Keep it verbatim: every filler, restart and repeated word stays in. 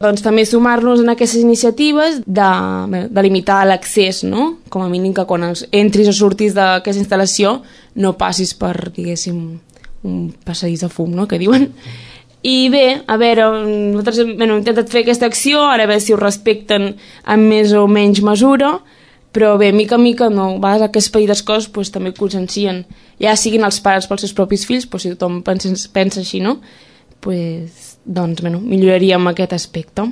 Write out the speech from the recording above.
Doncs també sumar-nos en aquestes iniciatives de, bé, de limitar l'accés, no? Com a mínim que quan entris o surtis d'aquesta instal·lació no passis per, diguéssim, un passadís de fum, no?, que diuen. I bé, a veure, nosaltres bueno, hem intentat fer aquesta acció, ara a veure si ho respecten en més o menys mesura, però bé, mica en mica, no, a vegades aquestes petites coses pues, també consciencien, ja siguin els pares pels seus propis fills, pues, si tothom pensa, pensa així, no? Pues, doncs, bueno, milloraríem aquest aspecte.